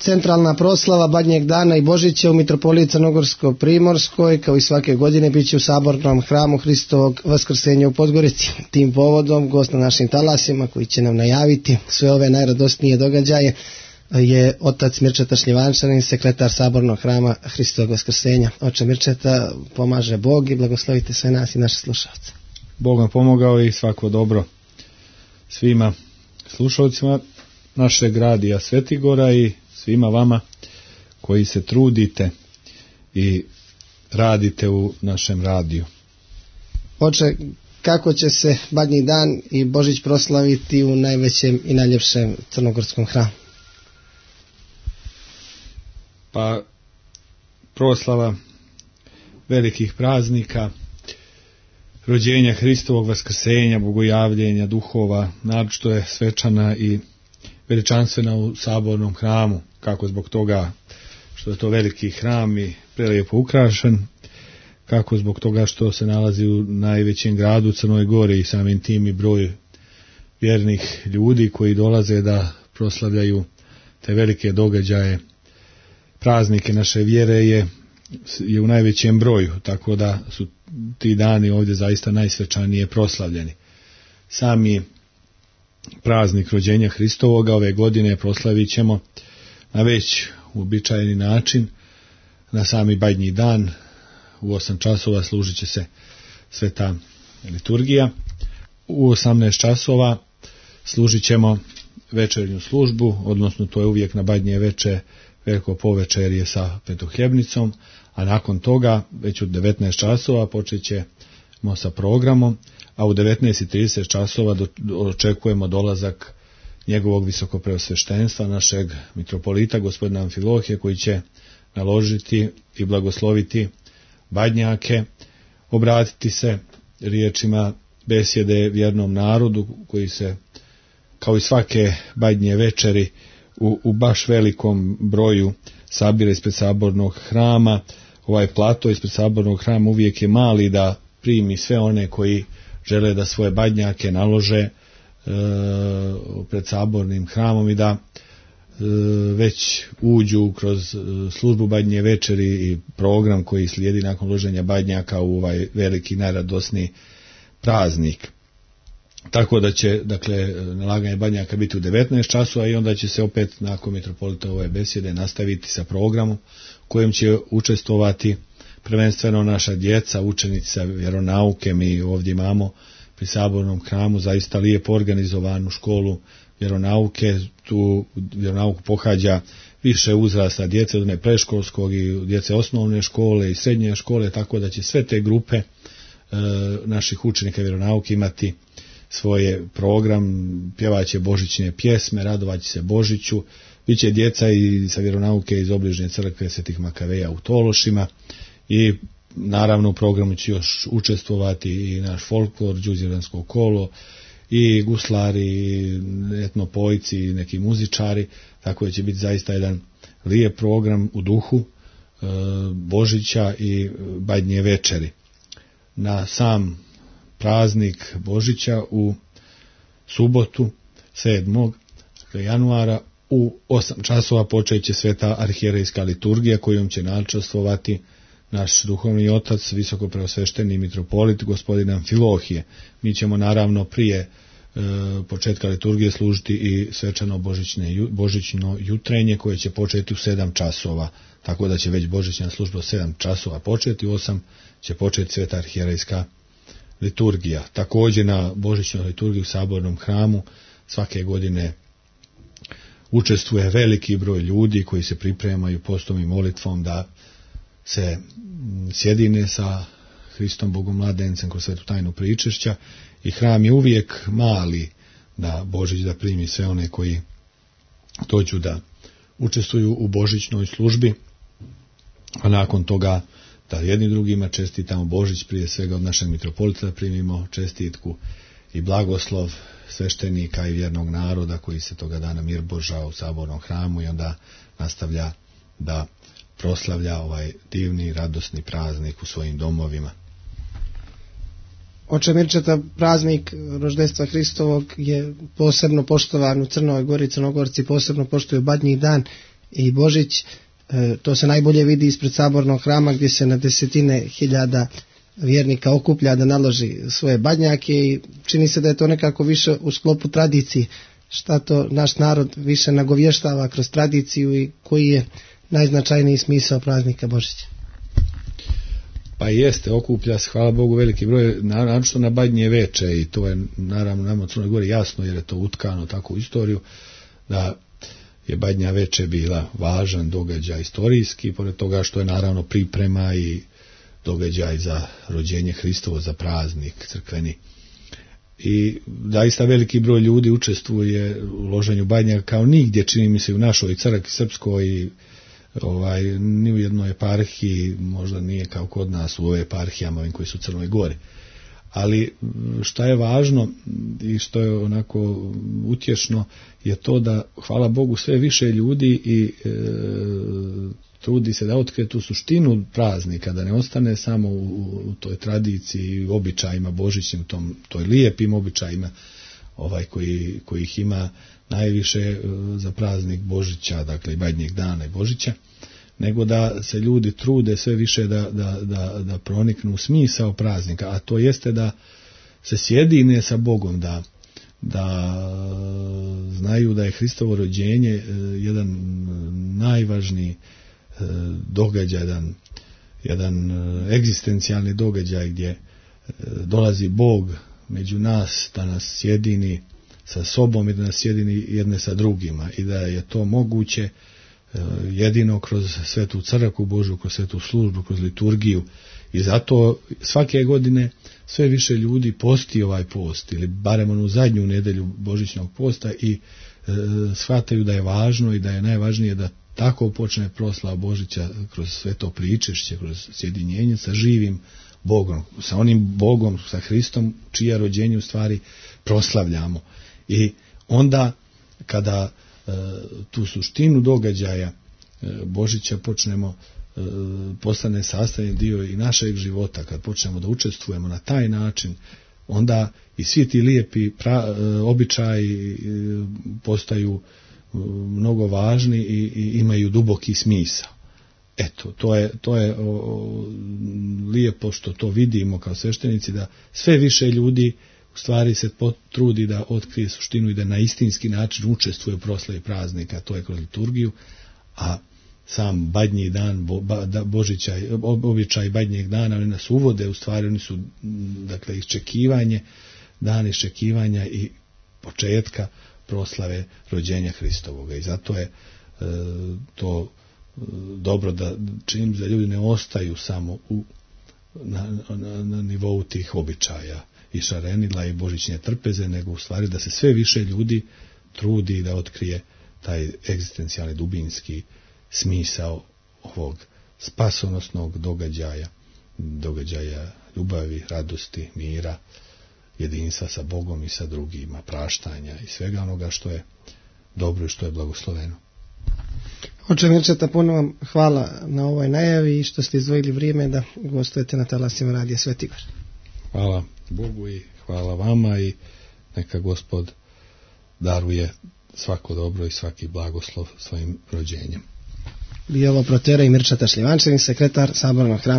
Centralna proslava Badnjeg dana i Božića u Mitropoliji Crnogorsko-Primorskoj, kao i svake godine, bit će u Sabornom hramu Hristovog Vaskrsenja u Podgorici. Tim povodom, gost na našim talasima koji će nam najaviti sve ove najradosnije događaje je otac Mirčeta Šljivančanin, sekretar Sabornog hrama Hristovog Vaskrsenja. Oče Mirčeta, pomaže Bog i blagoslovite sve nas i naše slušalce. Bog vam pomogao i svako dobro svima slušalcima našeg radija Svetigora i svima vama koji se trudite i radite u našem radiju. Oče, kako će se Badnji dan i Božić proslaviti u najvećem i najljepšem crnogorskom hramu? Pa proslava velikih praznika, rođenja Hristovog Vaskrsenja, bogojavljenja duhova, naročito je svečana i veličanstvena u Sabornom hramu, kako zbog toga što je to veliki hram i prelijepo ukrašen, kako zbog toga što se nalazi u najvećem gradu u Crnoj Gori i samim tim i broj vjernih ljudi koji dolaze da proslavljaju te velike događaje, praznike naše vjere je u najvećem broju, tako da su ti dani ovdje zaista najsvečanije proslavljeni. Sami praznik rođenja Hristovoga ove godine proslavit ćemo na već uobičajeni način, na sami Badnji dan. U 8 časova služit će se sveta liturgija. U 18 časova služit ćemo večernju službu, odnosno to je uvijek na Badnje veče veliko povečerje sa petohljebnicom, a nakon toga već u 19 časova počet ćemo sa programom, a u 19:30 časova očekujemo dolazak njegovog visokopreosveštenstva, našeg mitropolita gospodina Amfilohije, koji će naložiti i blagosloviti Badnjake, obratiti se riječima besjede vjernom narodu koji se kao i svake Badnje večeri u baš velikom broju sabira ispred Sabornog hrama. Ovaj plato ispred Sabornog hrama uvijek je mali da primi sve one koji žele da svoje Badnjake nalože pred Sabornim hramom i da već uđu kroz službu Badnje večeri i program koji slijedi nakon loženja Badnjaka u ovaj veliki najradosniji praznik. Tako da će, dakle, nalaganje Badnjaka biti u 19 časova i onda će se opet nakon mitropolitove besjede nastaviti sa programom kojim će učestvovati prvenstveno naša djeca, učenici sa vjeronauke. Mi ovdje imamo pri Sabornom hramu zaista lijepo organizovanu školu vjeronauke. Tu vjeronauku pohađa više uzrasta djece, od one predškolskog i djece osnovne škole i srednje škole, tako da će sve te grupe naših učenika vjeronauke imati svoje program, pjevaće božićne pjesme, radovat će se Božiću, bit će djeca i sa vjeronauke iz obližnje crkve Svetih Makaveja u Tološima i naravno u programu će još učestvovati i naš folklor, đuzjevansko kolo i guslari, i etnopojci i neki muzičari, tako da će biti zaista jedan lijep program u duhu Božića i Badnje večeri. Na sam praznik Božića u subotu 7. januara u 8 časova počet će sveta arhijerejska liturgija kojom će načastvovati naš duhovni otac, visokopreosvešteni mitropolit gospodin Amfilohije. Mi ćemo naravno prije početka liturgije služiti i svečano božićno jutrenje koje će početi u 7 časova, tako da će već božićna služba u 7 časova početi, u 8 će početi sveta arhijerejska liturgija. Također na božićnoj liturgiji u Sabornom hramu svake godine učestvuje veliki broj ljudi koji se pripremaju postom i molitvom da se sjedine sa Hristom Bogomladencem kroz svetu tajnu pričešća i hram je uvijek mali na Božić da primi sve one koji dođu da učestvuju u božićnoj službi, a nakon toga da jedni drugima čestitamo Božić, prije svega od našeg mitropolita da primimo čestitku i blagoslov sveštenika i vjernog naroda koji se toga dana mirboža u Sabornom hramu i onda nastavlja da proslavlja ovaj divni, radosni praznik u svojim domovima. Oče Mirčeta, praznik roždestva Hristovog je posebno poštovan u Crnoj Gori, Crnogorci posebno poštuju Badnji dan i Božić. To se najbolje vidi ispred sabornog hrama gdje se na desetine hiljada vjernika okuplja da naloži svoje badnjake i čini se da je to nekako više u sklopu tradicije. Šta to naš narod više nagovještava kroz tradiciju i koji je najznačajniji smisao praznika Božića? Pa jeste, okuplja se, hvala Bogu, veliki broj, naročito na Badnje veče, i to je naravno nama u Crnoj Gori jasno, jer je to utkano tako u istoriju, da je Badnja veče bila važan događaj istorijski, pored toga što je naravno priprema i događaj za rođenje Hristovo, za praznik crkveni. I zaista veliki broj ljudi učestvuje u loženju badnjaka kao nigdje, čini mi se, u našoj crkvi srpskoj i ni u jednoj eparhiji, možda nije kao kod nas u ove eparhijama ovim koji su u Crnoj Gori. Ali šta je važno i što je onako utješno je to da, hvala Bogu, sve više ljudi i trudi se da otkrije tu suštinu praznika, da ne ostane samo u toj tradiciji i običajima božićnim, toj lijepim običajima koji ih ima najviše za praznik Božića, dakle i Badnjeg dana i Božića, nego da se ljudi trude sve više da proniknu u smisao praznika, a to jeste da se sjedine sa Bogom, da znaju da je Hristovo rođenje jedan najvažniji događaj, jedan egzistencijalni događaj gdje dolazi Bog među nas da nas sjedini sa sobom i da nas sjedini jedne sa drugima, i da je to moguće jedino kroz svetu crkvu Božju, kroz svetu službu, kroz liturgiju. I zato svake godine sve više ljudi posti ovaj post, ili barem onu zadnju nedjelju božićnog posta, i shvataju da je važno i da je najvažnije da tako počne proslava Božića kroz sve to pričešće, kroz sjedinjenje sa živim Bogom, sa onim Bogom, sa Hristom, čija rođenje u stvari proslavljamo. I onda kada tu suštinu događaja Božića počnemo, postane sastavni dio i našeg života, kad počnemo da učestvujemo na taj način, onda i svi ti lijepi običaji postaju mnogo važni i imaju duboki smisao. Eto, to je lijepo što to vidimo kao sveštenici, da sve više ljudi u stvari se potrudi da otkrije suštinu i da na istinski način učestvuje u proslavi praznika, to je kroz liturgiju, a sam Badnji dan, Božića, običaj Badnjeg dana, oni nas uvode, u stvari oni su, dakle, dan iščekivanja i početka proslave rođenja Hristovoga. I zato je to dobro da čim za ljudi ne ostaju samo na nivou tih običaja i šarenila i božićne trpeze, nego u stvari da se sve više ljudi trudi da otkrije taj egzistencijalni dubinski smisao ovog spasonosnog događaja ljubavi, radosti, mira, jedinstva sa Bogom i sa drugima, praštanja i svega onoga što je dobro i što je blagosloveno. Oče Mirčeta, puno vam hvala na ovoj najavi i što ste izdvojili vrijeme da gostujete na talasima Radija Sveti Igor. Hvala Bogu i hvala vama, i neka Gospod daruje svako dobro i svaki blagoslov svojim rođenjem. Bio ovo protera i Mirčeta Šljivančanin, sekretar Sabornog hrama